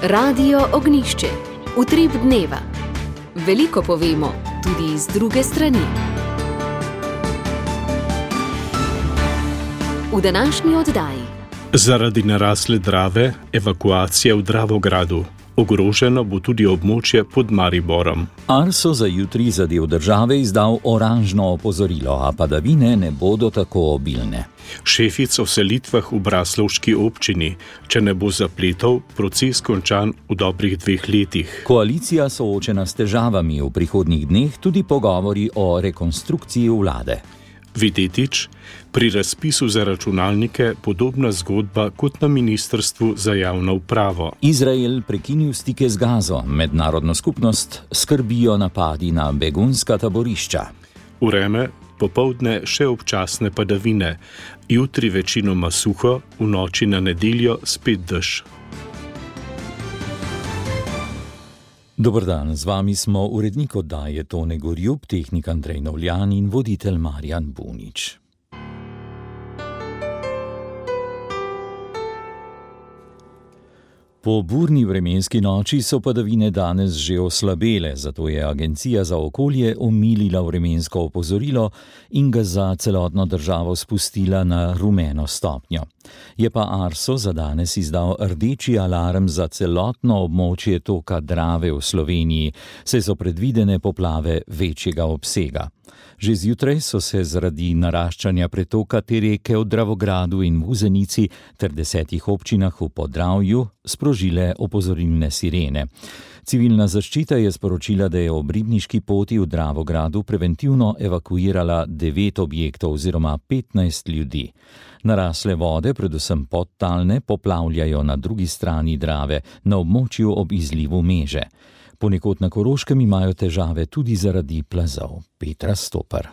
Radio Ognjišče. Utrip dneva. Veliko povemo, tudi iz druge strani. V današnji oddaji. Zaradi narasle Drave, evakuacija v Dravogradu. Ogroženo bo tudi območje pod Mariborom. Arso za jutri za del države izdal oranžno opozorilo, a padavine ne bodo tako obilne. Šefic o selitvah v braslovški občini. Če ne bo zapletov, proces končan v dobrih 2 letih. Koalicija soočena s težavami, v prihodnjih dneh tudi pogovori o rekonstrukciji vlade. Videtič, pri razpisu za računalnike podobna zgodba kot na Ministrstvu za javno upravo. Izrael prekinil stike z Gazo, mednarodno skupnost skrbijo napadi na begunska taborišča. Vreme, popoldne še občasne padavine, jutri večinoma suho, v noči na nedeljo spet dež. Dober dan, z vami smo urednik oddaje Tone Gorjup, tehnik Andrej Novljan in voditelj Marjan Bunič. Po burni vremenski noči so padavine danes že oslabele, zato je Agencija za okolje omilila vremensko opozorilo in ga za celotno državo spustila na rumeno stopnjo. Je pa Arso za danes izdal rdeči alarm za celotno območje toka Drave v Sloveniji, saj so predvidene poplave večjega obsega. Že zjutraj so se zaradi naraščanja pretoka te reke v Dravogradu in Vuzenici ter 10 občinah v Podravju sprožile opozorilne sirene. Civilna zaščita je sporočila, da je ob ribniški poti v Dravogradu preventivno evakuirala 9 objektov oziroma 15 ljudi. Narasle vode, predvsem podtalne, poplavljajo na drugi strani Drave, na območju ob izlivu Meže. Ponekod na Koroškem imajo težave tudi zaradi plazov. Petra Stopar.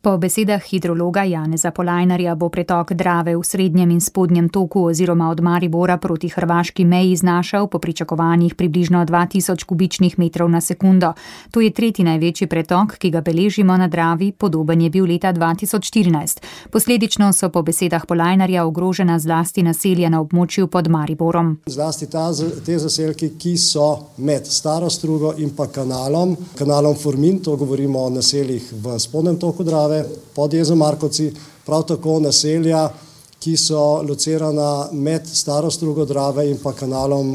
Po besedah hidrologa Janeza Polajnarja bo pretok Drave v srednjem in spodnjem toku oziroma od Maribora proti hrvaški meji znašal po pričakovanjih približno 2000 kubičnih metrov na sekundo. To je 3. največji pretok, ki ga beležimo na Dravi, podoben je bil leta 2014. Posledično so po besedah Polajnarja ogrožena zlasti naselja na območju pod Mariborom. Zlasti te zaselki, ki so med Staro Strugo in pa kanalom Formin, to govorimo o naseljih v spodnjem toku Drave, pod jezom Markovci, prav tako naselja, ki so locirana med Staro Strugo Drave in pa kanalom,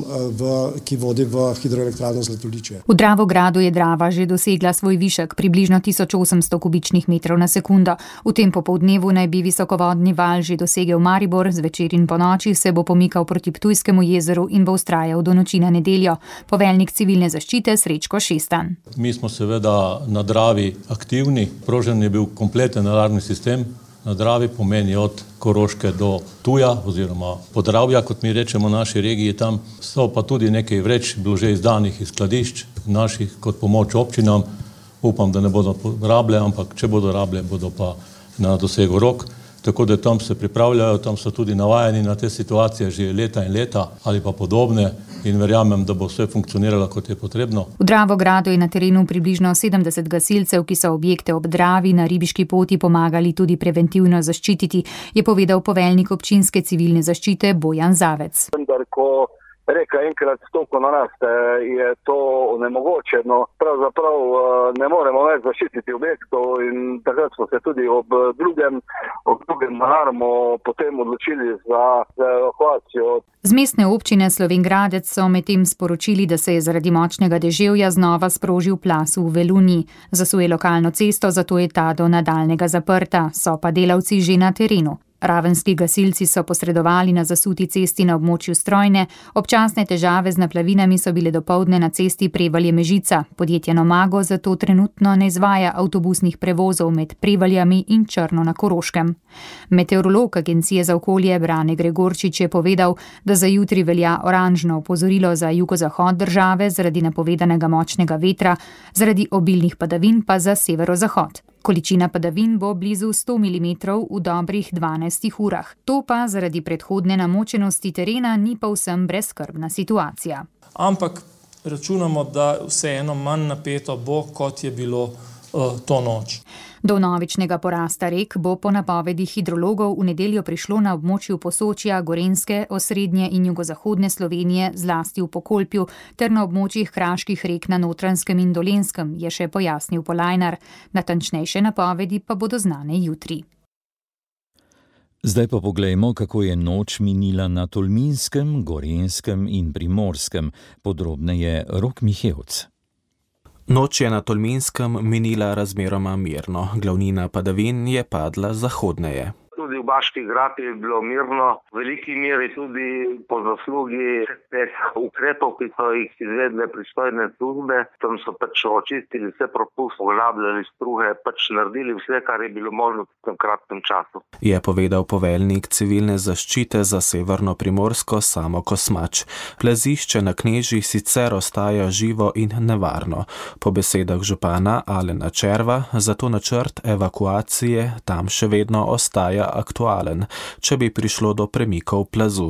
ki vodi v hidroelektrarno Zlatoličje. V Dravogradu je Drava že dosegla svoj višek, približno 1800 kubičnih metrov na sekundo. V tem popoldnevu naj bi visokovodni val že dosegel Maribor, zvečer in ponoči se bo pomikal proti Ptujskemu jezeru in bo vztrajal do noči na nedeljo. Poveljnik civilne zaščite Srečko Šestan. Mi smo seveda na Dravi aktivni, prožen je bil kompleten alarmni sistem. Na Dravi pomeni od Koroške do Ptuja oziroma Podravja, kot mi rečemo v naši regiji tam. So pa tudi nekaj vreč bilo že izdanih iz skladišč naših kot pomoč občinam. Upam, da ne bodo rable, ampak če bodo rable, bodo pa na dosegu rok. Tako da tam se pripravljajo, tam so tudi navajeni na te situacije že leta in leta ali pa podobne in verjamem, da bo vse funkcioniralo, kot je potrebno. V Dravogradu je na terenu približno 70 gasilcev, ki so objekte ob Dravi na ribiški poti pomagali tudi preventivno zaščititi, je povedal poveljnik občinske civilne zaščite Bojan Zavec. Ko reka enkrat stopno naraste, je to onemogočeno. Pravzaprav ne moremo več zaščititi objektov in takrat smo se tudi ob drugem alarmu potem odločili za evakuacijo. Z mestne občine Slovenj Gradec so medtem sporočili, da se je zaradi močnega deževja znova sprožil plaz v Velunji. Zasuje lokalno cesto, zato je ta do nadaljnega zaprta, so pa delavci že na terenu. Ravenski gasilci so posredovali na zasuti cesti na območju Strojne, občasne težave z naplavinami so bile dopoldne na cesti Prevalje-Mežica. Podjetje Nomago zato trenutno ne izvaja avtobusnih prevozov med Prevaljami in Črno na Koroškem. Meteorolog Agencije za okolje Brane Gregorčič je povedal, da za jutri velja oranžno opozorilo za jugozahod države zaradi napovedanega močnega vetra, zaradi obilnih padavin pa za severozahod. Količina padavin bo blizu 100 mm v dobrih 12 urah. To pa zaradi predhodne namočenosti terena ni povsem brezskrbna situacija. Ampak računamo, da vseeno manj napeto bo, kot je bilo to noč. Do vnovičnega porasta rek bo po napovedi hidrologov v nedeljo prišlo na območju Posočja, Gorenjske, osrednje in jugozahodne Slovenije, zlasti v Pokolpju, ter na območjih kraških rek na Notranjskem in Dolenjskem, je še pojasnil Polajnar. Natančnejše napovedi pa bodo znane jutri. Zdaj pa poglejmo, kako je noč minila na Tolminskem, Gorenjskem in Primorskem. Podrobneje Rok Mihevc. Noč je na Tolminskem minila razmeroma mirno, glavnina padavin je padla zahodneje. Tudi v Baški Grapi je bilo mirno, v veliki meri tudi po zaslugi teh ukrepov, ki so jih izvedle pristojne službe. Tam so očistili vse propuste, poglabljali struge, naredili vse, kar je bilo možno v tem kratkem času. Je povedal poveljnik civilne zaščite za Severno Primorsko Samo Kosmač. Plazišče na Knežjih sicer ostaja živo in nevarno. Po besedah župana Alena Červa, zato načrt evakuacije tam še vedno ostaja aktualen, če bi prišlo do premikov plazu.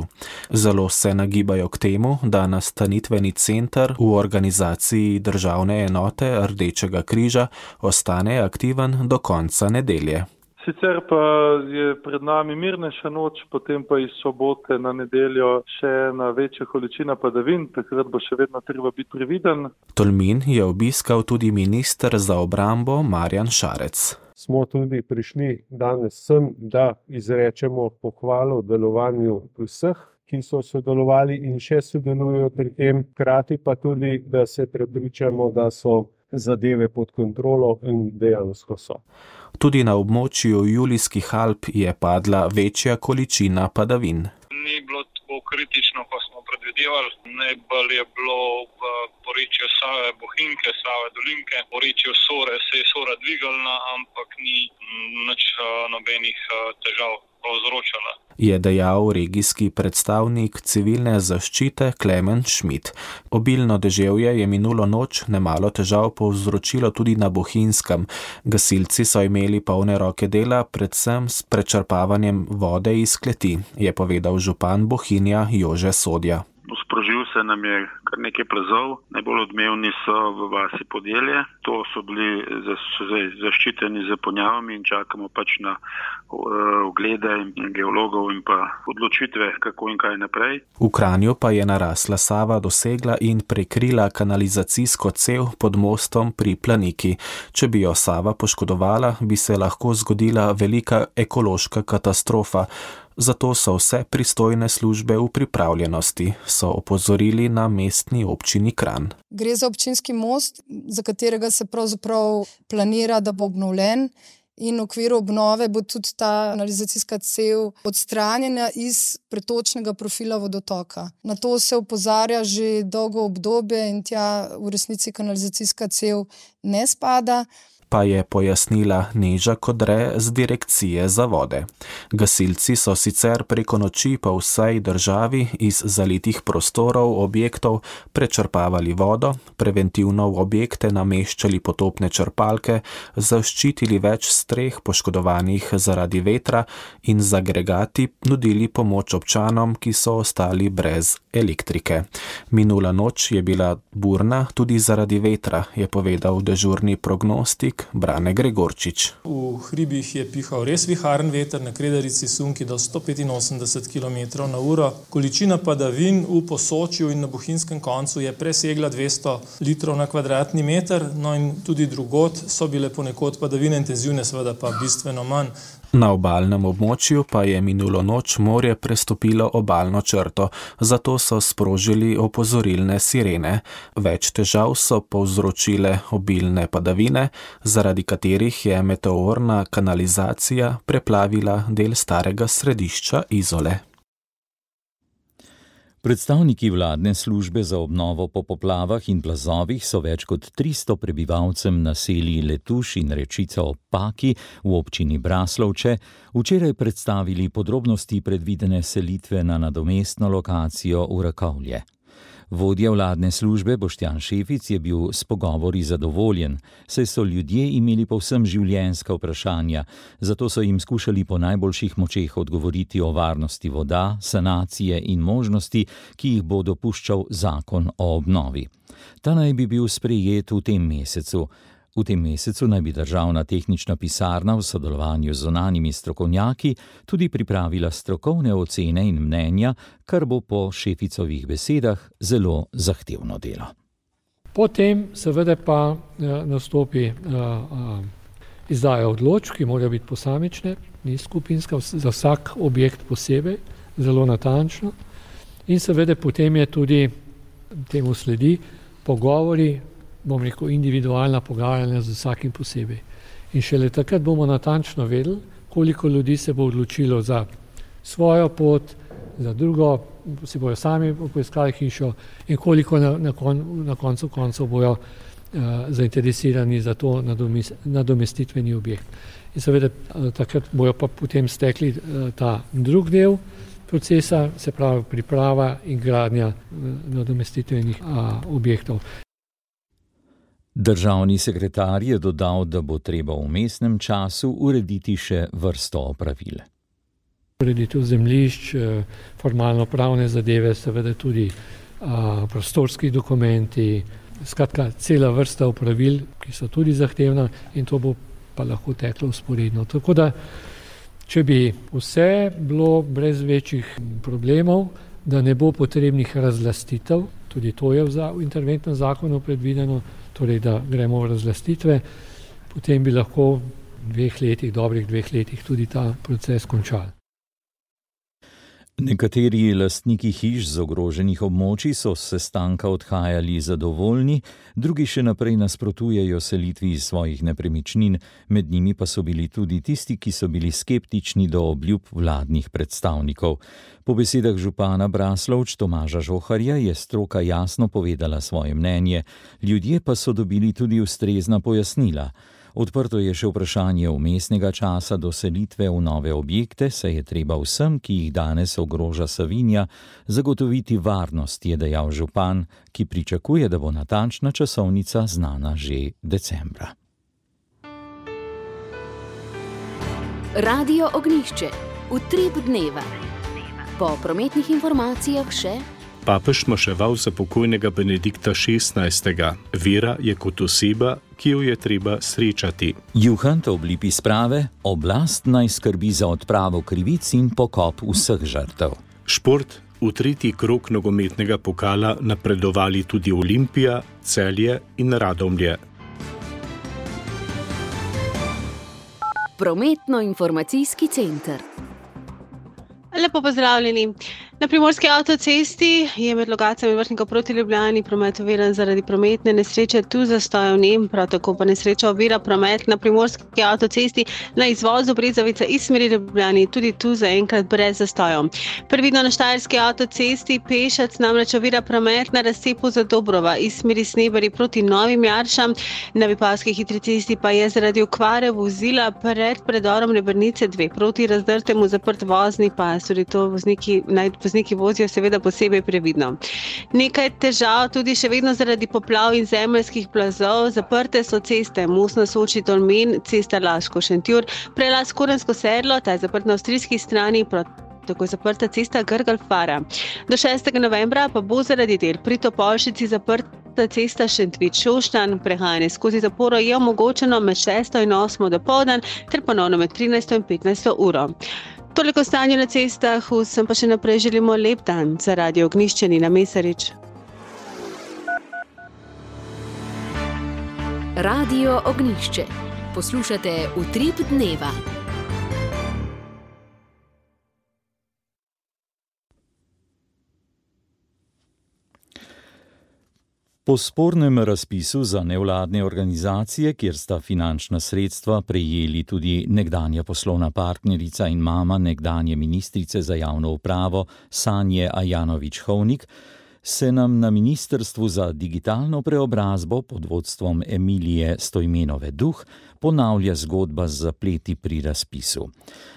Zelo se nagibajo k temu, da nastanitveni center v organizaciji državne enote Rdečega križa ostane aktiven do konca nedelje. Sicer pa je pred nami mirnejša noč, potem pa iz sobote na nedeljo še ena večja količina padavin, takrat bo še vedno treba biti previden. Tolmin je obiskal tudi minister za obrambo Marjan Šarec. Smo tudi prišli danes sem, da izrečemo pohvalo delovanju vseh, ki so sodelovali in še sodelujo pri tem, hkrati pa tudi, da se prepričamo, da so zadeve pod kontrolo in dejansko so. Tudi na območju Julijskih Alp je padla večja količina padavin. Ni bilo tako kritično, kot smo predvidevali. Najbolj je bilo v porečju Save Bohinjke, Save Dolinke. V porečju Sore se je Sora dvigalna, ampak ni nič nobenih težav povzročala. Je dejal regijski predstavnik civilne zaščite Klemen Šmit. Obilno deževje je minulo noč nemalo težav povzročilo tudi na Bohinjskem. Gasilci so imeli polne roke dela, predvsem s prečrpavanjem vode iz kleti, je povedal župan Bohinja Jože Sodja. Sprožil se nam je kar nekaj plazov, najbolj odmevni so v vasi Podjelje. To so bili zaščiteni z ponjavami in čakamo na oglede in geologov in pa odločitve, kako in kaj naprej. V Kranju pa je narasla Sava dosegla in prekrila kanalizacijsko cev pod mostom pri Planiki. Če bi jo Sava poškodovala, bi se lahko zgodila velika ekološka katastrofa. Zato so vse pristojne službe v pripravljenosti, so opozorili na mestni občini Kranj. Gre za občinski most, za katerega se pravzaprav planira, da bo obnovljen, in v okviru obnove bo tudi ta kanalizacijska cev odstranjena iz pretočnega profila vodotoka. Na to se opozarja že dolgo obdobje in tja v resnici kanalizacijska cev ne spada. Pa je pojasnila Neža Kodre z Direkcije za vode. Gasilci so sicer preko noči po vsej državi iz zalitih prostorov objektov prečrpavali vodo, preventivno v objekte nameščali potopne črpalke, zaščitili več streh poškodovanih zaradi vetra in z agregati nudili pomoč občanom, ki so ostali brez elektrike. Minula noč je bila burna tudi zaradi vetra, je povedal dežurni prognostik Brane Gregorčič. V hribih je pihal res viharen veter, na Kredarici sunki do 185 km/h. Količina padavin v Posočju in na Bohinjskem koncu je presegla 200 litrov na kvadratni meter, no in tudi drugod so bile ponekod padavine intenzivne, seveda pa bistveno manj. Na obalnem območju pa je minulo noč morje prestopilo obalno črto, zato so sprožili opozorilne sirene. Več težav so povzročile obilne padavine, zaradi katerih je meteorna kanalizacija preplavila del starega središča Izole. Predstavniki vladne službe za obnovo po poplavah in plazovih so več kot 300 prebivalcem naselij Letuš in Rečica ob Paki v občini Braslovče včeraj predstavili podrobnosti predvidene selitve na nadomestno lokacijo v Rakovlje. Vodja vladne službe Boštjan Šefic je bil s pogovori zadovoljen, saj so ljudje imeli povsem življenjska vprašanja, zato so jim skušali po najboljših močeh odgovoriti o varnosti voda, sanacije in možnosti, ki jih bo dopuščal zakon o obnovi. Ta naj bi bil sprejet v tem mesecu. V tem mesecu naj bi Državna tehnična pisarna v sodelovanju z zunanjimi strokovnjaki tudi pripravila strokovne ocene in mnenja, kar bo po šeficovih besedah zelo zahtevno delo. Potem seveda pa nastopi izdaja odločb, ki morajo biti posamične, ni skupinska, za vsak objekt posebej, zelo natančno. In seveda potem je tudi, temu sledi, pogovori, bom rekel, individualna pogajanja z vsakim posebej. In šele takrat bomo natančno vedeli, koliko ljudi se bo odločilo za svojo pot, za drugo, si bojo sami poiskali hišo in koliko na koncu koncev bojo zainteresirani za to nadomestitveni objekt. In seveda takrat bojo pa potem stekli ta drug del procesa, se pravi priprava in gradnja nadomestitvenih objektov. Državni sekretar je dodal, da bo treba v vmesnem času urediti še vrsto opravil. Ureditev zemljišč, formalno-pravne zadeve, seveda tudi prostorski dokumenti, skratka cela vrsta opravil, ki so tudi zahtevna in to bo pa lahko teklo vzporedno. Tako da, če bi vse bilo brez večjih problemov, da ne bo potrebnih razlastitev, tudi to je v interventnem zakonu predvideno, torej da gremo v razlastitve, potem bi lahko v dobrih 2 letih tudi ta proces končali. Nekateri lastniki hiš z ogroženih območij so s sestanka odhajali zadovoljni, drugi še naprej nasprotujejo selitvi iz svojih nepremičnin, med njimi pa so bili tudi tisti, ki so bili skeptični do obljub vladnih predstavnikov. Po besedah župana Braslovč Tomaža Žoharja je stroka jasno povedala svoje mnenje, ljudje pa so dobili tudi ustrezna pojasnila. Odprto je še vprašanje vmesnega časa do selitve v nove objekte, saj je treba vsem, ki jih danes ogroža Savinja, zagotoviti varnost, je dejal župan, ki pričakuje, da bo natančna časovnica znana že decembra. Radio Ognjišče, Utrip dneva. Po prometnih informacijah še Papež maševal za pokojnega Benedikta XVI. Vera je kot oseba, ki jo je treba srečati. Juhant oblipi sprave, oblast naj skrbi za odpravo krivic in pokop vseh žrtev. Šport, v 3. krog nogometnega pokala napredovali tudi Olimpija, Celje in Radomlje. Prometno-informacijski center. Lepo pozdravljeni. Na Primorski avtocesti je med lokacijami vrtnikov proti Ljubljani promet oviran zaradi prometne nesreče, tu zastojev ni, prav tako pa nesreča ovira promet na Primorski avtocesti na izvozu Brezovica iz smeri Ljubljani, tudi tu zaenkrat brez zastojev. Previdno na Štajerski avtocesti Pešec namreč ovira promet na razcepu Zadobrova iz smeri Snebari proti Novim Jaršam, na Vipavski hitri cesti pa je zaradi okvare vozila pred predorom Rebrnice 2 proti Razdrtemu zaprt vozni pas, tudi to vozniki vozijo seveda posebej previdno. Nekaj težav tudi še vedno zaradi poplav in zemeljskih plazov. Zaprte so ceste Mostna Soči Tolmin, cesta Laško-Šentjur, prelaz Korensko sedlo, ta je zaprt na avstrijski strani, tako je zaprta cesta Grgal-Fara. Do 6. novembra pa bo zaradi del pri Topolšici zaprta cesta Šentvid-Šoštanj, prehajanje skozi zaporo je omogočeno med 6. in 8. dopoldan ter ponovno med 13. in 15. uro. Toliko stanje na cestah, vsem pa še naprej želimo lep dan. Za Radio Ognjišče Nina Mesarič. Radio Ognjišče. Poslušate Utrip dneva. Po spornem razpisu za nevladne organizacije, kjer sta finančna sredstva prejeli tudi nekdanja poslovna partnerica in mama nekdanje ministrice za javno upravo Sanje Ajanović-Hovnik, se nam na Ministrstvu za digitalno preobrazbo pod vodstvom Emilije Stojmenove Duh ponavlja zgodba z zapleti pri razpisu.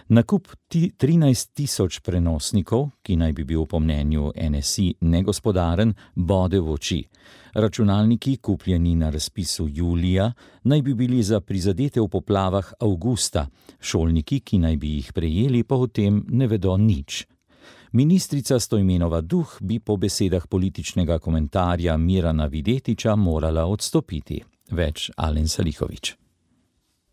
Nakup 13.000 prenosnikov, ki naj bi bil po mnenju NSI negospodaren, bode v oči. Računalniki, kupljeni na razpisu julija, naj bi bili za prizadete v poplavah avgusta, šolniki, ki naj bi jih prejeli, pa o tem ne vedo nič. Ministrica Stojmenova Duh bi po besedah političnega komentarja Mirana Videtiča morala odstopiti. Več Alen Saliković.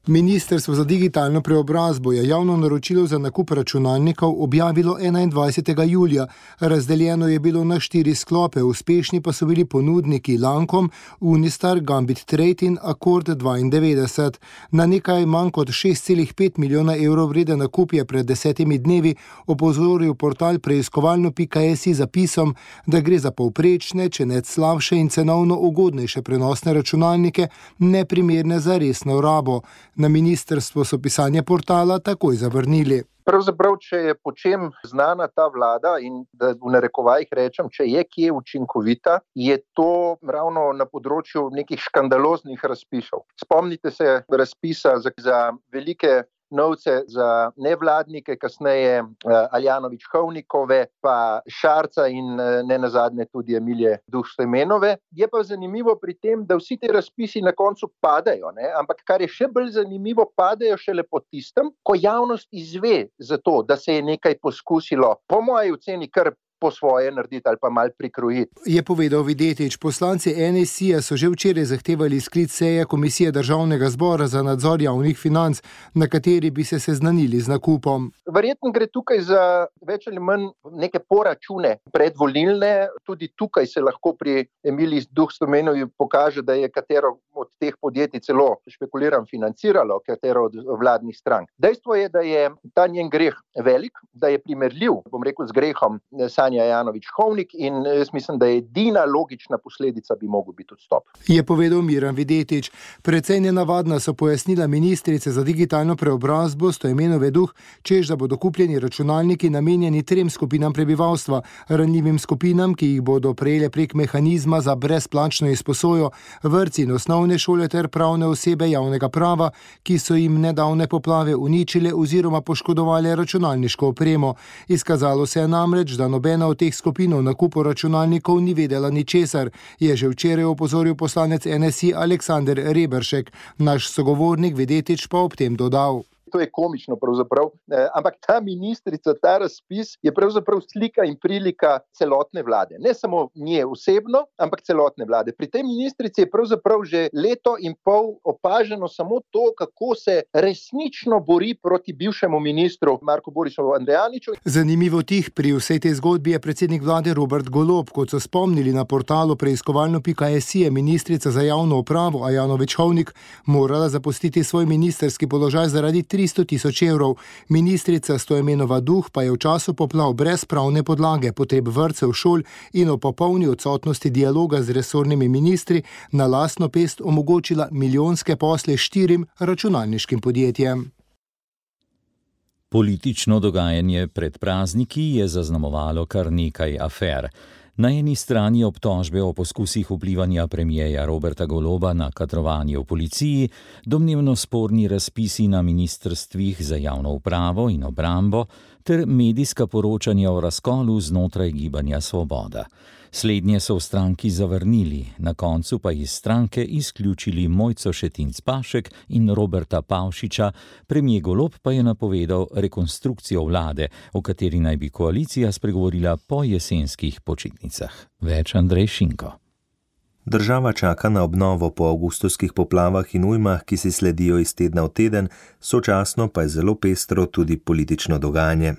Ministrstvo za digitalno preobrazbo je javno naročilo za nakup računalnikov objavilo 21. julija. Razdeljeno je bilo na 4 sklope, uspešni pa so bili ponudniki Lancome, Unistar, Gambit Trade in Accord 92. Na nekaj manj kot 6,5 milijona evrov vreden nakup je pred 10 dnevi opozoril portal preiskovalno.si zapisom, da gre za povprečne, če ne slabše in cenovno ugodnejše prenosne računalnike, neprimerne za resno rabo. Na ministrstvo so pisanje portala takoj zavrnili. Pravzaprav, če je po čem znana ta vlada in da v narekovajih rečem, če je kje učinkovita, je to ravno na področju nekih škandaloznih razpisov. Spomnite se razpisa za velike novce za nevladnike, kasneje Aljanović-Hovnikove, pa Šarca in ne nazadnje tudi Emilije Duh-Stojmenove. Je pa zanimivo pri tem, da vsi ti razpisi na koncu padajo, ne? Ampak kar je še bolj zanimivo, padajo šele po tistem, ko javnost izve za to, da se je nekaj poskusilo, po moji oceni kar po svoje narediti ali pa mal prikrojiti. Je povedal Videtič. Poslanci NSI-ja so že včeraj zahtevali sklic seje Komisije Državnega zbora za nadzor javnih financ, na kateri bi se seznanili z nakupom. Verjetno gre tukaj za več ali manj neke poračune predvolilne. Tudi tukaj se lahko pri Emiliji Duh-Stojmenovi pokaže, da je katero od teh podjetij celo, špekuliram, financiralo katero od vladnih strank. Dejstvo je, da je ta njen greh velik, da je primerljiv, bom rekel, z grehom Sanja Ajanović-Hovnik in jaz mislim, da je edina logična posledica bi mogel biti odstop. Je povedal Miran Videtič. Precej nenavadna so pojasnila ministrice za digitalno preobrazbo Stojmenove Duh, češ da bodo kupljeni računalniki namenjeni 3 skupinam prebivalstva, ranljivim skupinam, ki jih bodo prejele prek mehanizma za brezplačno izposojo, vrtci in osnovne šole ter pravne osebe javnega prava, ki so jim nedavne poplave uničile oziroma poškodovale računalniško opremo. Izkazalo se je namreč, da nobena od teh skupin o nakupu računalnikov ni vedela ničesar, je že včeraj opozoril poslanec NSI Aleksander Reberšek. Naš sogovornik Videtič pa ob tem dodal. To je komično pravzaprav, ampak ta ministrica, ta razpis je pravzaprav slika in prilika celotne vlade. Ne samo nje osebno, ampak celotne vlade. Pri tej ministrici je pravzaprav že leto in pol opaženo samo to, kako se resnično bori proti bivšemu ministru Marku Borisu Andrijaniču. Zanimivo tih pri vsej tej zgodbi je predsednik vlade Robert Golob. Kot so spomnili na portalu preiskovalno.si, je ministrica za javno upravo Ajanović-Hovnik morala zapustiti svoj ministrski položaj zaradi 300.000 evrov. Ministrica Stojmenova Duh pa je v času poplav brez pravne podlage, potreb vrtcev, šol in o popolni odsotnosti dialoga z resornimi ministri na lastno pest omogočila milijonske posle 4 računalniškim podjetjem. Politično dogajanje pred prazniki je zaznamovalo kar nekaj afer. Na eni strani obtožbe o poskusih vplivanja premierja Roberta Goloba na kadrovanje v policiji, domnevno sporni razpisi na ministrstvih za javno upravo in obrambo ter medijska poročanja o razkolu znotraj Gibanja Svoboda. Slednje so v stranki zavrnili, na koncu pa iz stranke izključili Mojco Šetinc Pašek in Roberta Pavšiča, premijer Golob pa je napovedal rekonstrukcijo vlade, o kateri naj bi koalicija spregovorila po jesenskih počitnicah. Več Andrej Šinko. Država čaka na obnovo po avgustovskih poplavah in ujmah, ki si sledijo iz tedna v teden, sočasno pa je zelo pestro tudi politično dogajanje.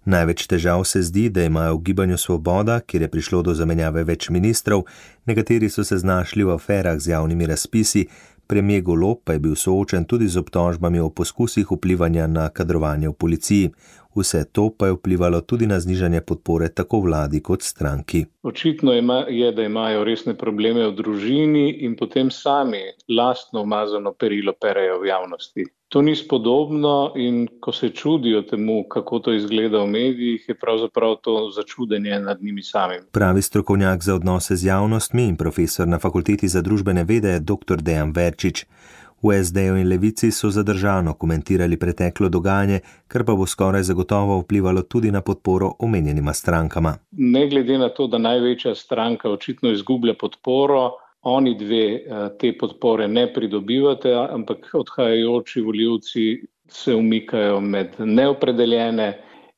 Največ težav se zdi, da imajo v Gibanju Svoboda, kjer je prišlo do zamenjave več ministrov, nekateri so se znašli v aferah z javnimi razpisi, premijer Golob pa je bil soočen tudi z obtožbami o poskusih vplivanja na kadrovanje v policiji. Vse to pa je vplivalo tudi na znižanje podpore tako vladi kot stranki. Očitno je, da imajo resne probleme v družini in potem sami lastno umazano perilo perejo v javnosti. To ni spodobno in ko se čudijo temu, kako to izgleda v medijih, je pravzaprav to začudenje nad njimi samim. Pravi strokovnjak za odnose z javnostmi in profesor na Fakulteti za družbene vede dr. Dejan Verčič. V SD-ju in Levici so zadržano komentirali preteklo dogajanje, kar pa bo skoraj zagotovo vplivalo tudi na podporo omenjenima strankama. Ne glede na to, da največja stranka očitno izgublja podporo, oni dve te podpore ne pridobivate, ampak odhajajoči volivci se umikajo med neopredeljene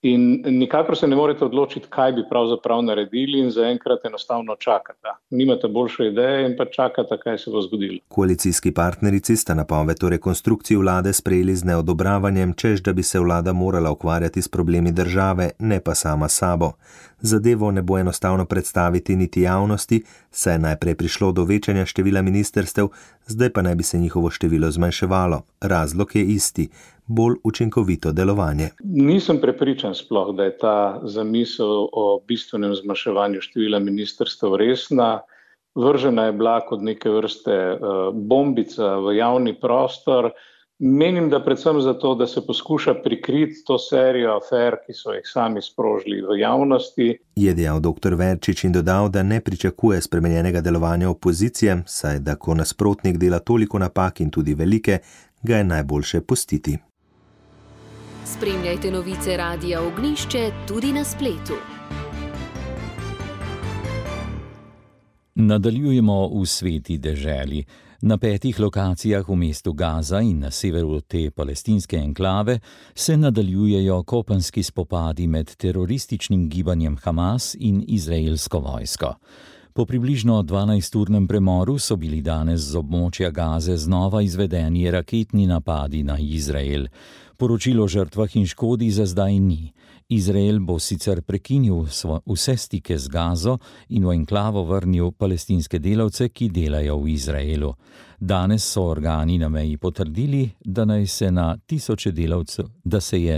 In nikakor se ne morete odločiti, kaj bi pravzaprav naredili in zaenkrat enostavno čakate. Nimate boljše ideje in pa čakate, kaj se bo zgodilo. Koalicijski partnerici sta napoved o rekonstrukciji vlade sprejeli z neodobravanjem, češ da bi se vlada morala ukvarjati s problemi države, ne pa sama sabo. Zadevo ne bo enostavno predstaviti niti javnosti, saj je najprej prišlo do večanja števila ministrstev, zdaj pa naj bi se njihovo število zmanjševalo. Razlog je isti, bolj učinkovito delovanje. Nisem prepričan sploh, da je ta zamisel o bistvenem zmanjševanju števila ministrstev resna. Vržena je bila kot neke vrste bombica v javni prostor. Menim, da predvsem zato, da se poskuša prikriti to serijo afer, ki so jih sami sprožili v javnosti. Je dejal dr. Verčič in dodal, da ne pričakuje spremenjenega delovanja opozicije, saj da ko nasprotnik dela toliko napak in tudi velike, ga je najboljše pustiti. Spremljajte novice Radia Ognjišče tudi na spletu. Nadaljujemo v sveti deželi. Na 5 lokacijah v mestu Gaza in na severu te palestinske enklave se nadaljujejo kopenski spopadi med terorističnim gibanjem Hamas in izraelsko vojsko. Po približno 12-urnem premoru so bili danes z območja Gaze znova izvedeni raketni napadi na Izrael. Poročilo o žrtvah in škodi za zdaj ni. Izrael bo sicer prekinil vse stike z Gazo in v enklavo vrnil palestinske delavce, ki delajo v Izraelu. Danes so organi na meji potrdili, da se je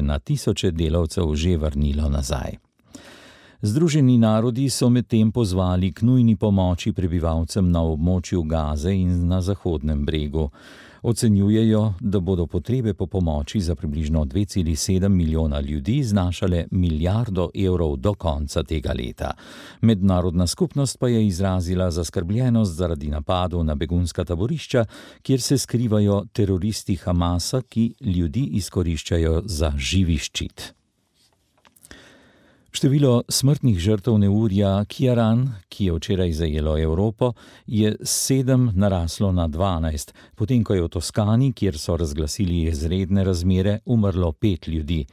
na tisoče delavcev že vrnilo nazaj. Združeni narodi so medtem pozvali k nujni pomoči prebivalcem na območju Gaze in na Zahodnem bregu. Ocenjujejo, da bodo potrebe po pomoči za približno 2,7 milijona ljudi znašale $1 milijardo do konca tega leta. Mednarodna skupnost pa je izrazila zaskrbljenost zaradi napadov na begunska taborišča, kjer se skrivajo teroristi Hamasa, ki ljudi izkoriščajo za živi ščit. Število smrtnih žrtev neurja Ciaran, ki je včeraj zajelo Evropo, je s 7 naraslo na 12, potem ko je v Toskani, kjer so razglasili izredne razmere, umrlo 5 ljudi.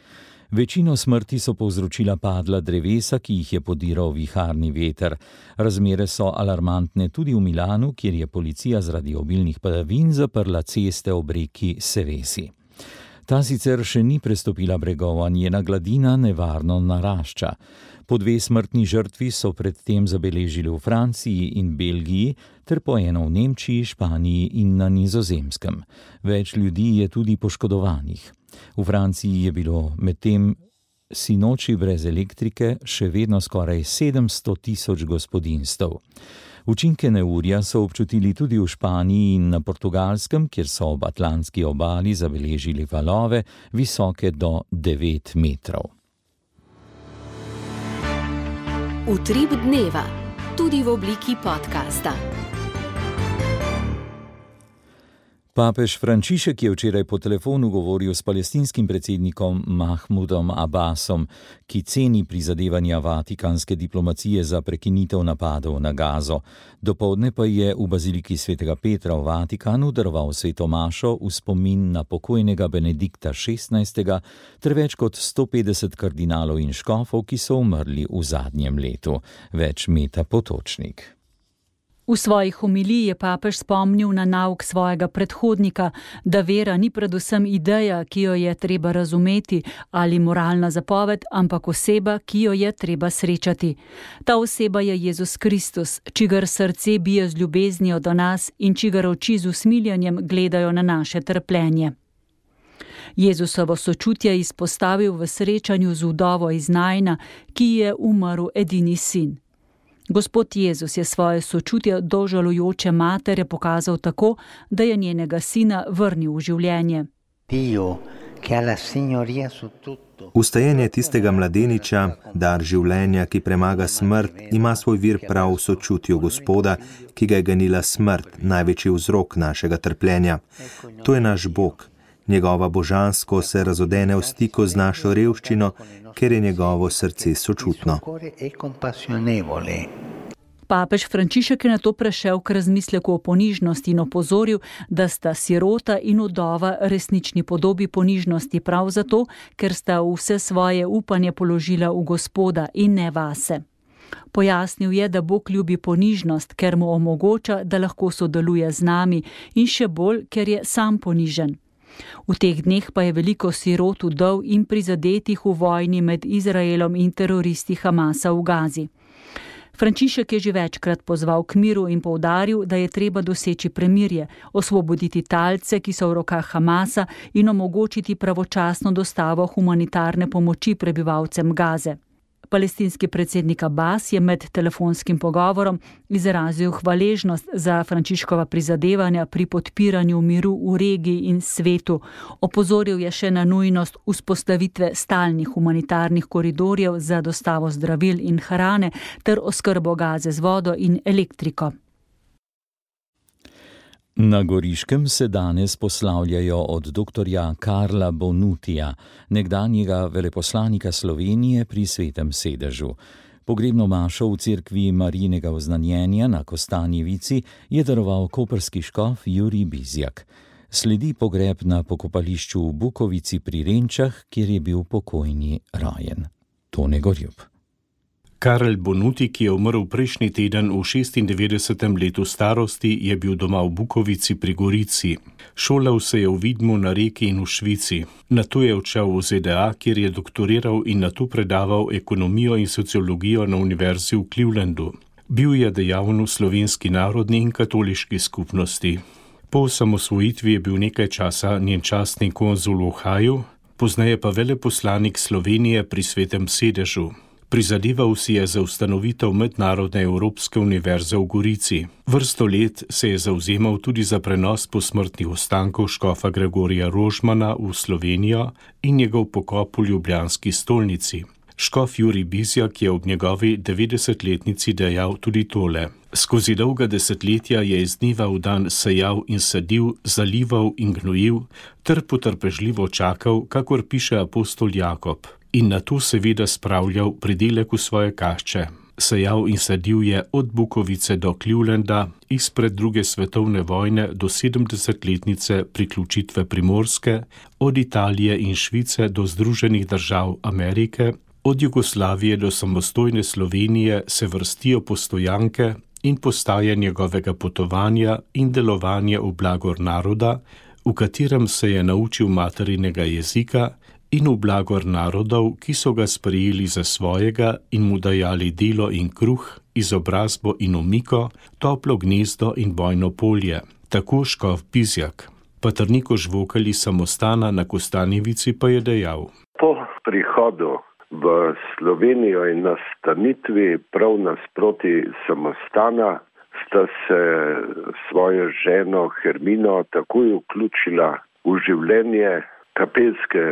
Večino smrti so povzročila padla drevesa, ki jih je podiral viharni veter. Razmere so alarmantne tudi v Milanu, kjer je policija zaradi obilnih padavin zaprla ceste ob reki Sevesi. Ta sicer še ni prestopila bregova, njena gladina nevarno narašča. Po 2 smrtni žrtvi so predtem zabeležili v Franciji in Belgiji, ter po eno v Nemčiji, Španiji in na Nizozemskem. Več ljudi je tudi poškodovanih. V Franciji je bilo medtem sinoči brez elektrike še vedno skoraj 700.000 gospodinjstev. Učinke neurja so občutili tudi v Španiji in na Portugalskem, kjer so ob atlantski obali zabeležili valove visoke do 9 metrov. Utrip dneva, tudi v obliki podcasta. Papež Frančišek je včeraj po telefonu govoril s palestinskim predsednikom Mahmudom Abbasom, ki ceni prizadevanja vatikanske diplomacije za prekinitev napadov na Gazo. Dopoldne pa je v baziliki svetega Petra v Vatikanu daroval sveto mašo v spomin na pokojnega Benedikta XVI. Ter več kot 150 kardinalov in škofov, ki so umrli v zadnjem letu. Več Meta Potočnik. V svojih homiliji je papež spomnil na nauk svojega predhodnika, da vera ni predvsem ideja, ki jo je treba razumeti, ali moralna zapoved, ampak oseba, ki jo je treba srečati. Ta oseba je Jezus Kristus, čigar srce bije z ljubeznijo do nas in čigar oči z usmiljanjem gledajo na naše trpljenje. Jezusovo sočutje izpostavil v srečanju z vdovo iz Najna, ki je umrl edini sin. Gospod Jezus je svoje sočutje do žalujoče matere pokazal tako, da je njenega sina vrnil v življenje. Ustajenje tistega mladeniča, dar življenja, ki premaga smrt, ima svoj vir prav v sočutju Gospoda, ki ga je ganila smrt, največji vzrok našega trpljenja. To je naš Bog. Njegova božansko se razodene v stiku z našo revščino, ker je njegovo srce sočutno. Papež Frančišek je na to prešel k razmisleku o ponižnosti in opozoril, da sta sirota in vdova resnični podobi ponižnosti prav zato, ker sta vse svoje upanje položila v Gospoda in ne vase. Pojasnil je, da Bog ljubi ponižnost, ker mu omogoča, da lahko sodeluje z nami in še bolj, ker je sam ponižen. V teh dneh pa je veliko sirot, vdov in prizadetih v vojni med Izraelom in teroristi Hamasa v Gazi. Frančišek je že večkrat pozval k miru in poudaril, da je treba doseči premirje, osvoboditi talce, ki so v rokah Hamasa, in omogočiti pravočasno dostavo humanitarne pomoči prebivalcem Gaze. Palestinski predsednik Abbas je med telefonskim pogovorom izrazil hvaležnost za Frančiškova prizadevanja pri podpiranju miru v regiji in svetu. Opozoril je še na nujnost vzpostavitve stalnih humanitarnih koridorjev za dostavo zdravil in hrane ter oskrbo Gaze z vodo in elektriko. Na Goriškem se danes poslavljajo od doktorja Karla Bonutija, nekdanjega veleposlanika Slovenije pri Svetem sedežu. Pogrebno mašo v cerkvi Marijinega oznanjenja na Kostanjevici je daroval koprski škof Jurij Bizjak. Sledi pogreb na pokopališču v Bukovici pri Renčah, kjer je bil pokojni rojen. Tone Gorjup. Karel Bonuti, ki je umrl prejšnji teden v 96. letu starosti, je bil doma v Bukovici pri Gorici. Šolal se je v Vidmu na Reki in v Švici. Nato je odšel v ZDA, kjer je doktoriral in nato predaval ekonomijo in sociologijo na univerzi v Clevelandu. Bil je dejaven v slovenski narodni in katoliški skupnosti. Po osamosvojitvi je bil nekaj časa njen častni konzul v Ohaju, pozneje pa veleposlanik Slovenije pri Svetem sedežu. Prizadeval si je za ustanovitev Mednarodne Evropske univerze v Gorici. Vrsto let se je zavzemal tudi za prenos posmrtnih ostankov škofa Gregorija Rožmana v Slovenijo in njegov pokop v ljubljanski stolnici. Škof Jurij Bizjak je ob njegovi 90-letnici dejal tudi tole. Skozi dolga desetletja je iz dneva v dan sejal in sadil, zalival in gnojil, ter potrpežljivo čakal, kakor piše apostol Jakob. In na to seveda spravljal pridelek v svoje kašče. Sejal in sadil je od Bukovice do Clevelanda, izpred druge svetovne vojne do 70-letnice priključitve Primorske, od Italije in Švice do Združenih držav Amerike, od Jugoslavije do samostojne Slovenije se vrstijo postojanke in postaje njegovega potovanja in delovanja v blagor naroda, v katerem se je naučil materinega jezika, in v blagor narodov, ki so ga sprejeli za svojega in mu dajali delo in kruh, izobrazbo in omiko, toplo gnezdo in bojno polje. Tako škof Bizjak. Patrniko žvokali samostana na Kostanjevici pa je dejal. Po prihodu v Slovenijo in nastanitvi prav nasproti samostana sta se svojo ženo Hermino takoj vključila v življenje kapelske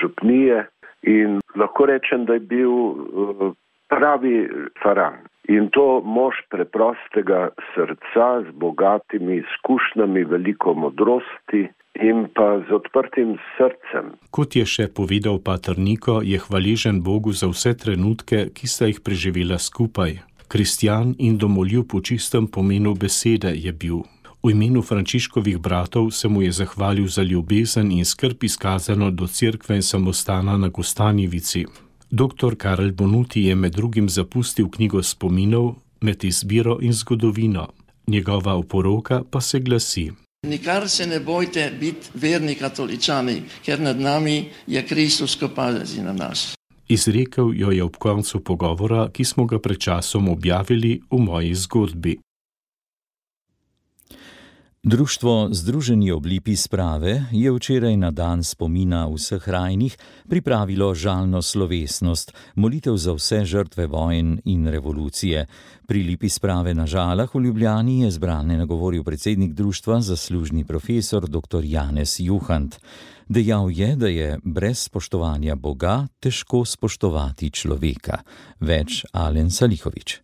župnije in lahko rečem, da je bil pravi faran. In to mož preprostega srca z bogatimi izkušnjami, veliko modrosti in pa z odprtim srcem. Kot je še povedal Patrniko, je hvaležen Bogu za vse trenutke, ki sta jih preživela skupaj. Kristjan in domoljub v čistem pomenu besede je bil. V imenu Frančiškovih bratov se mu je zahvalil za ljubezen in skrb izkazano do cerkve in samostana na Kostanjevici. Dr. Karel Bonuti je med drugim zapustil knjigo spominov Med izbiro in zgodovino. Njegova oporoka pa se glasi. Nikar se ne bojte biti verni katoličani, ker nad nami je Kristus, ko pazi na nas. Izrekel jo je ob koncu pogovora, ki smo ga pred časom objavili v moji zgodbi. Društvo Združeni oblipi sprave je včeraj na dan spomina vseh rajnih pripravilo žalno slovesnost, molitev za vse žrtve vojn in revolucije. Pri lipi sprave na Žalah v Ljubljani je zbrane nagovoril predsednik društva, zaslužni profesor dr. Janez Juhant. Dejal je, da je brez spoštovanja Boga težko spoštovati človeka. Več Alen Salihovič.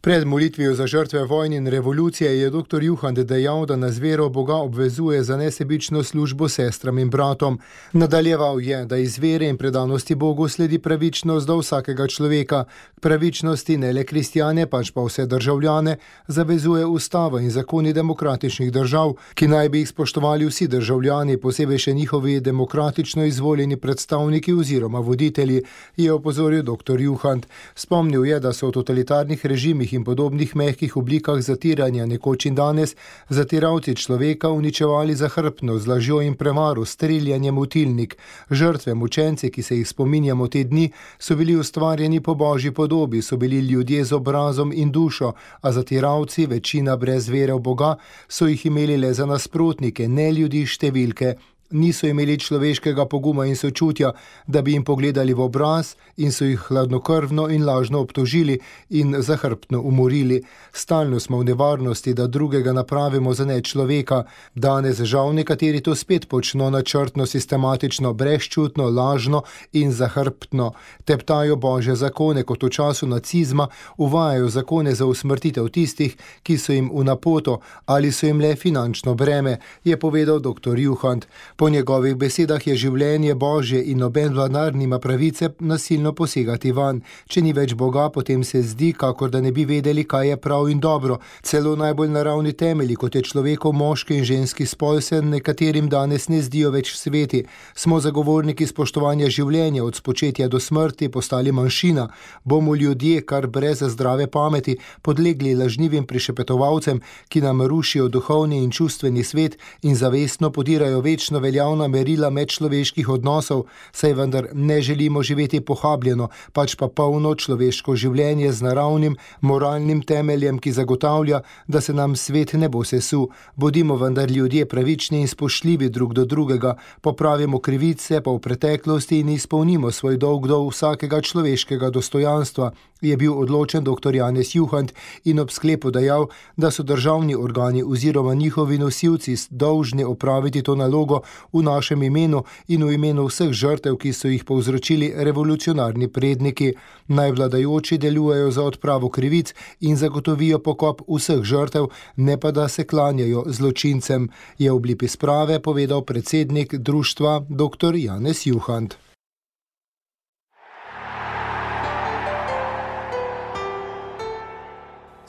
Pred molitvijo za žrtve vojne in revolucije je dr. Juhant dejal, da nas vero Boga obvezuje za nesebično službo sestram in bratom. Nadaljeval je, da iz vere in predanosti Bogu sledi pravičnost do vsakega človeka. K pravičnosti ne le kristjane, pač pa vse državljane, zavezuje ustava in zakoni demokratičnih držav, ki naj bi jih spoštovali vsi državljani, posebej še njihovi demokratično izvoljeni predstavniki oziroma voditelji, je opozoril dr. Juhant. Spomnil je, da so v totalitarnih režimih in podobnih mehkih oblikah zatiranja nekoč in danes zatiralci človeka uničevali zahrbtno z lažjo in prevaro, streljanjem v tilnik. Žrtve, mučenci, ki se jih spominjamo te dni, so bili ustvarjeni po božji podobi, so bili ljudje z obrazom in dušo, a zatiralci, večina brez vere v Boga, so jih imeli le za nasprotnike, ne ljudi številke. Niso imeli človeškega poguma in sočutja, da bi jim pogledali v obraz in so jih hladnokrvno in lažno obtožili in zahrbtno umorili. Stalno smo v nevarnosti, da drugega napravimo za nečloveka. Danes žal nekateri to spet počno načrtno, sistematično, brezčutno, lažno in zahrbtno. Teptajo božje zakone, kot v času nacizma, uvajajo zakone za usmrtitev tistih, ki so jim v napoto ali so jim le finančno breme, je povedal dr. Juhant. Po njegovih besedah je življenje božje in noben vladar nima pravice nasilno posegati van. Če ni več Boga, potem se zdi, kakor da ne bi vedeli, kaj je prav in dobro. Celo najbolj naravni temelji, kot je človekov moški in ženski spol, se nekaterim danes ne zdijo več sveti. Smo zagovorniki spoštovanja življenja, od spočetja do smrti postali manjšina. Bomo ljudje, kar brez zdrave pameti, podlegli lažnivim prišepetovalcem, ki nam rušijo duhovni in čustveni svet in zavestno podirajo večno veljavna merila medčloveških odnosov, saj vendar ne želimo živeti pohabljeno, pač pa polno človeško življenje z naravnim, moralnim temeljem, ki zagotavlja, da se nam svet ne bo sesul. Bodimo vendar ljudje pravični in spoštljivi drug do drugega, popravimo krivice pa v preteklosti in izpolnimo svoj dolg do vsakega človeškega dostojanstva, je bil odločen dr. Janez Juhant in ob sklepu dejal, da so državni organi oziroma njihovi nosilci dolžni opraviti to nalogo v našem imenu in v imenu vseh žrtev, ki so jih povzročili revolucionarni predniki. Naj vladajoči delujejo za odpravo krivic in zagotovijo pokop vseh žrtev, ne pa da se klanjajo zločincem, je v obliki sprave povedal predsednik društva dr. Janez Juhant.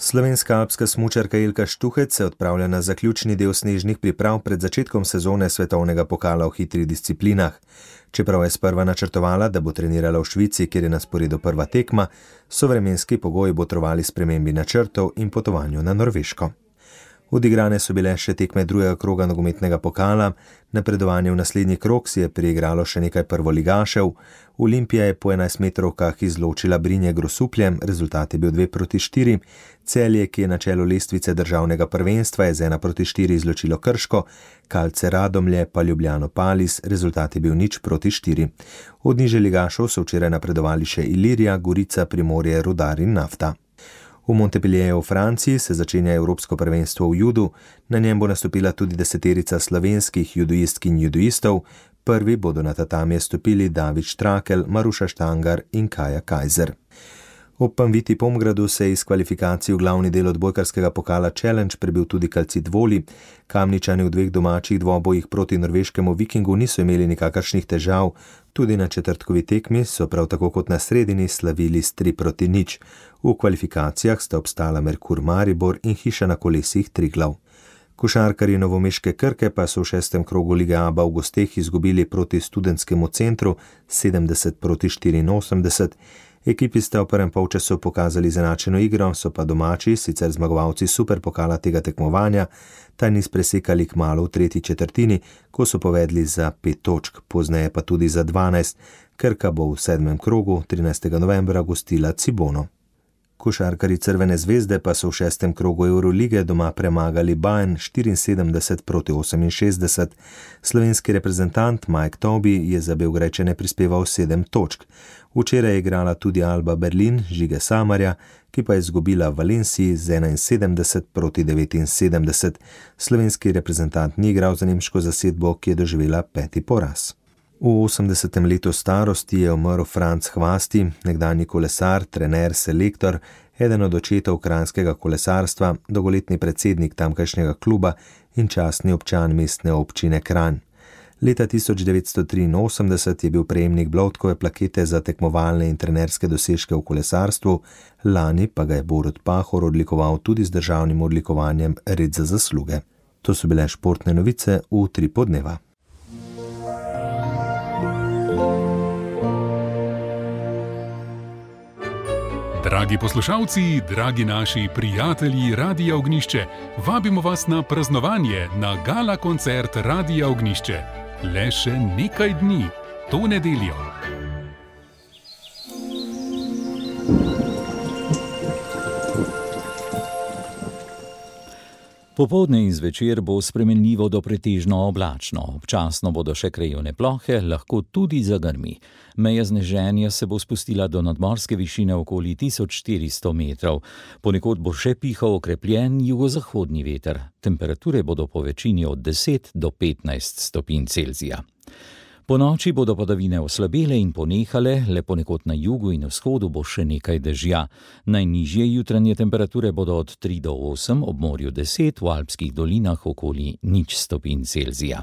Slovenska alpska smučarka Ilka Štuhec se odpravlja na zaključni del snežnih priprav pred začetkom sezone svetovnega pokala v hitrih disciplinah. Čeprav je sprva načrtovala, da bo trenirala v Švici, kjer je na sporedu prva tekma, so vremenski pogoji botrovali spremembi načrtov in potovanju na Norveško. Odigrane so bile še tekme drugega kroga nogometnega pokala, napredovanje v naslednji krog si je priigralo še nekaj prvoligašev, Olimpija je po 11-metrovkah izločila Brinje Grosuplje, rezultat je bil 2-4, Celje, ki je na čelu lestvice državnega prvenstva, je z 1-4 izločilo Krško, Kalce Radomlje pa Ljubljano Palis, rezultat je bil 0-4. Od nižje ligašov so včeraj napredovali še Ilirija, Gorica, Primorje, Rudar in Nafta. V Montpellieru v Franciji se začenja Evropsko prvenstvo v judu, na njem bo nastopila tudi 10 slovenskih judoistk in judoistov, prvi bodo na tatamije stopili David Štrakel, Maruša Štangar in Kaja Kajzer. Ob Panviti Pomgradu se je iz kvalifikacij v glavni del odbojkarskega pokala Challenge prebil tudi Calcit Voli. Kamničani v dveh domačih dvobojih proti norveškemu Vikingu niso imeli nikakršnih težav, tudi na četrtkovi tekmi so prav tako kot na sredini slavili s 3-0. V kvalifikacijah sta obstala Merkur Maribor in Hiša na kolesih Triglav. Košarkarji novomeške Krke pa so v 6. krogu Lige ABA v gosteh izgubili proti Studentskemu centru 70-84. Ekipi sta v prvem polčasu pokazali izenačeno igro, so pa domači, sicer zmagovalci superpokala tega tekmovanja, ta niz presekali kmalu v tretji četrtini, ko so povedli za 5 točk, pozneje pa tudi za 12. Krka bo v 7. krogu 13. novembra gostila Cibono. Košarkarji Crvene zvezde pa so v 6. krogu Eurolige doma premagali Bayern 74-68. Slovenski reprezentant Mike Tobi je za Beograjčane prispeval 7 točk. Včeraj je igrala tudi Alba Berlin Žige Samarja, ki pa je izgubila v Valenciji z 71-79. Slovenski reprezentant ni igral za nemško zasedbo, ki je doživela 5. poraz. V 80. letu starosti je umrl Franc Hvasti, nekdanji kolesar, trener, selektor, eden od očetov kranjskega kolesarstva, dolgoletni predsednik tamkajšnjega kluba in častni občan mestne občine Kranj. Leta 1983 je bil prejemnik Bloudkove plakete za tekmovalne in trenerske dosežke v kolesarstvu, lani pa ga je Borut Pahor odlikoval tudi z državnim odlikovanjem Red za zasluge. To so bile športne novice v Utripu dneva. Dragi poslušalci, dragi naši prijatelji Radia Ognjišče, vabimo vas na praznovanje na gala koncert Radia Ognjišče. Le še nekaj dni, to nedeljo. Popoldne in zvečer bo spremenljivo do pretežno oblačno. Občasno bodo še krajevne plohe, lahko tudi zagrmi. Meja sneženja se bo spustila do nadmorske višine okoli 1400 metrov. Ponekod bo še pihal okrepljen jugozahodni veter. Temperature bodo po večini od 10 do 15 stopinj Celzija. Po noči bodo padavine oslabele in ponehale, le ponekod na jugu in vzhodu bo še nekaj dežja. Najnižje jutranje temperature bodo od 3 do 8, ob morju 10, v alpskih dolinah okoli 0 stopinj Celzija.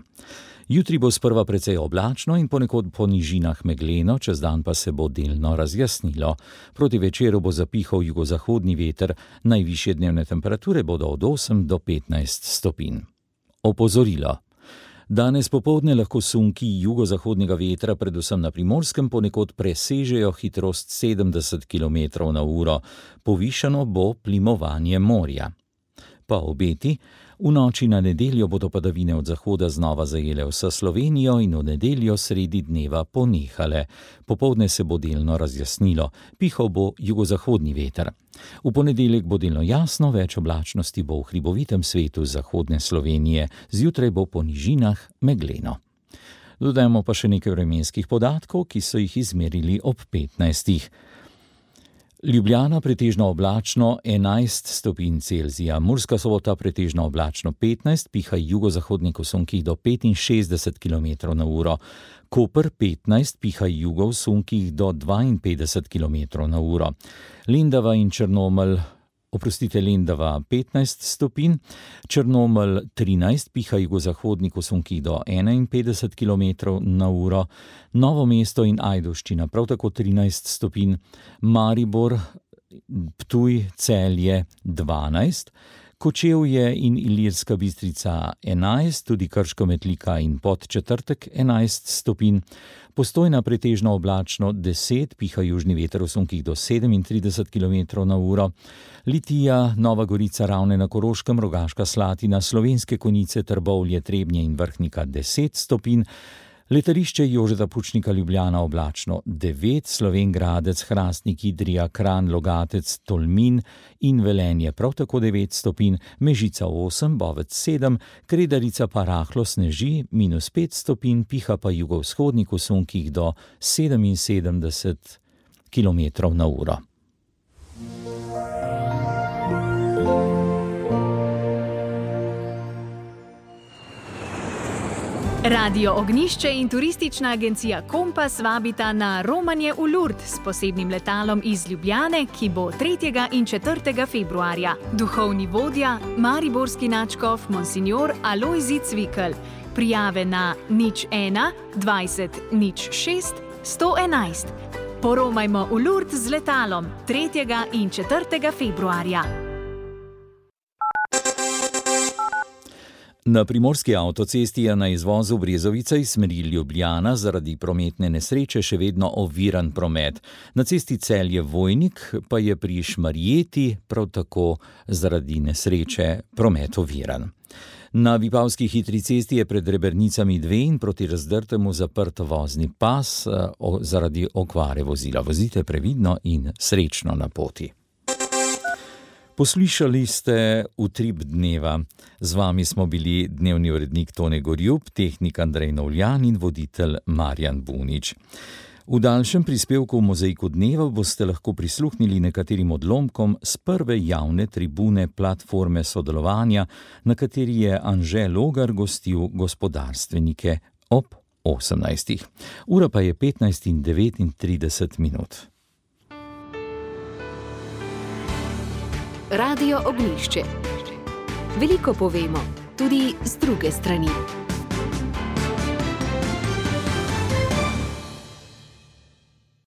Jutri bo sprva precej oblačno in ponekod po nižinah megleno, čez dan pa se bo delno razjasnilo. Proti večeru bo zapihal jugozahodni veter, najvišje dnevne temperature bodo od 8 do 15 stopinj. Opozorilo. Danes popoldne lahko sunki jugozahodnega vetra, predvsem na Primorskem, ponekod presežejo hitrost 70 km/h. Povišano bo plimovanje morja. Pa obeti. V noči na nedeljo bodo padavine od zahoda znova zajele vso Slovenijo in v nedeljo sredi dneva ponehale. Popoldne se bo delno razjasnilo, pihal bo jugozahodni veter. V ponedeljek bo delno jasno, več oblačnosti bo v hribovitem svetu zahodne Slovenije, zjutraj bo po nižinah megleno. Dodajmo pa še nekaj vremenskih podatkov, ki so jih izmerili ob 15. Ljubljana pretežno oblačno 11 stopinj Celzija, Murska Sobota pretežno oblačno 15, pihaj jugozahodni sunkih do 65 km/h, Koper 15, pihaj jugo v sunkih do 52 km/h, Lendava in Črnomelj, Lendava 15 stopinj, Črnomelj 13, pihaj jugozahodni sunkih do 51 km/h, Novo mesto in Ajdovščina prav tako 13 stopinj, Maribor, Ptuj, Celje 12, Kočevje in Ilirska Bistrica 11, tudi Krško, Metlika in Podčetrtek 11 stopinj, Postojna pretežno oblačno 10, piha južni veter v sunkih do 37 km/h, Litija, Nova Gorica, Ravne na Koroškem, Rogaška Slatina, Slovenske Konjice, Trbovlje, Trebnje in Vrhnika 10 stopinj, Letališče Jožeta Pučnika Ljubljana oblačno 9, Slovenj Gradec, Hrastnik, Idrija, Kranj, Logatec, Tolmin in Velenje prav tako 9 stopinj, Mežica 8, Bovec 7, Kredarica pa rahlo sneži, -5 stopinj, piha pa jugovzhodni v sunkih do 77 km/h. Radio Ognjišče in turistična agencija Kompas vabita na romanje v Lourdes s posebnim letalom iz Ljubljane, ki bo 3. in 4. februarja. Duhovni vodja, mariborski nadškof Monsignor Alojzij Cvikl. Prijave na 01 20 06 111. Poromajmo v Lourdes z letalom 3. in 4. februarja. Na primorski avtocesti je na izvozu Brezovica iz smeri Ljubljana zaradi prometne nesreče še vedno oviran promet. Na cesti Celje-Vojnik pa je pri Šmarjeti prav tako zaradi nesreče promet oviran. Na Vipavski hitri cesti je pred Rebernicami 2 in proti Razdrtemu zaprt vozni pas zaradi okvare vozila. Vozite previdno in srečno na poti. Poslušali ste Utrip dneva. Z vami smo bili dnevni urednik Tone Gorjup, tehnik Andrej Novljan in voditelj Marjan Bunič. V daljšem prispevku v Mozaiku dneva boste lahko prisluhnili nekaterim odlomkom z prve javne tribune platforme sodelovanja, na kateri je Anže Logar gostil gospodarstvenike ob 18. Ura pa je 15:39. Radio Ognjišče. Veliko povemo, tudi z druge strani.